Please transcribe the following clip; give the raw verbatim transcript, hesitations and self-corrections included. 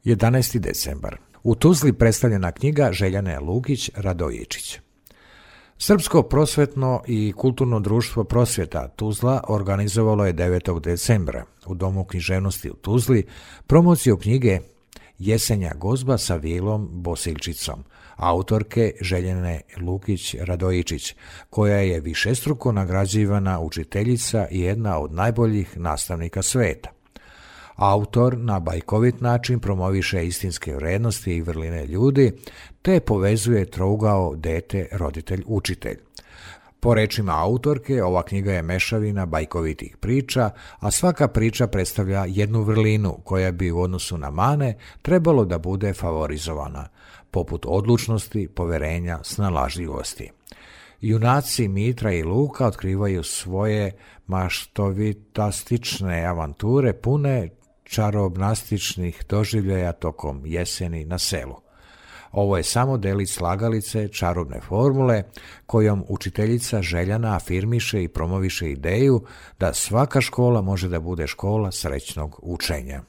jedanaesti decembar. U Tuzli predstavljena knjiga Željane Lukić Radojičić. Srpsko prosvetno i kulturno društvo Prosvjeta Tuzla organizovalo je devetog decembra u Domu književnosti u Tuzli promociju knjige Jesenja gozba sa Vilom Bosiljčicom, autorke Željane Lukić Radojičić, koja je višestruko nagrađivana učiteljica i jedna od najboljih nastavnika sveta. Autor na bajkovit način promoviše istinske vrednosti i vrline ljudi, te povezuje trougao dete-roditelj-učitelj. Po rečima autorke, ova knjiga je mešavina bajkovitih priča, a svaka priča predstavlja jednu vrlinu koja bi u odnosu na mane trebalo da bude favorizovana, poput odlučnosti, poverenja, snalažljivosti. Junaci Mitra i Luka otkrivaju svoje maštovitastične avanture pune čarobnastičnih doživljaja tokom jeseni na selu. Ovo je samo delić slagalice čarobne formule kojom učiteljica Željana afirmiše i promoviše ideju da svaka škola može da bude škola srećnog učenja.